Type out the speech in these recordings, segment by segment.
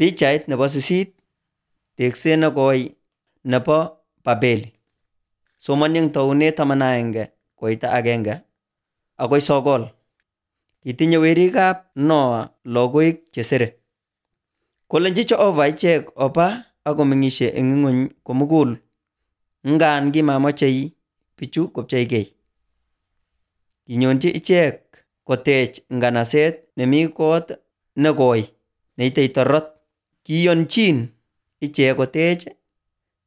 Pichait nebo 8. Tekset nekoi nebo Babeli. Somoni eng taunet 11 koita 1 akoi 9. Kitinye werikab Noa logoek chesere. Kolenji Jehova ichek oba akomeng'isie eng ing'ony komugul, ngan kimamachei bichu kopcheikei. Kinyonji ichek kotech nganaset nemi kot nekoi neitei torot. Kiyonchin ichek kotech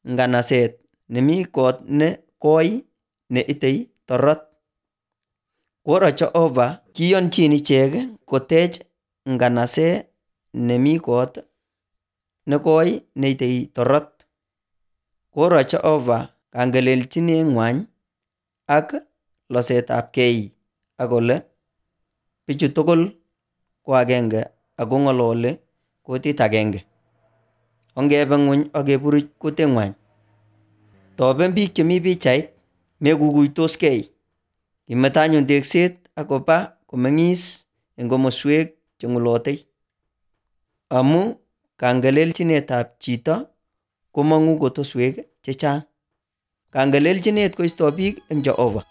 nganaset nemi kot ne koi neitei torot. Koro Jehova kiyonchin ichek kotech nganaset nemi kot nekoi neitei torot. Koro Jehova kangelelchineng'wany ak losetabkei akole bichu tugul ko agenge ako ng'ololi kutit agenge. Ongebe ng'ony akeburuch kutitng'wany. Toben biik chemi pichait, mekukuitoskei. Kimeto anyun tekset akoba komeng'is eng komoswek cheng'ulotei. Amu kangelelchinetab chito komong'u kotoswek chechang. Kangelelchinet koistoi biik eng Jehova.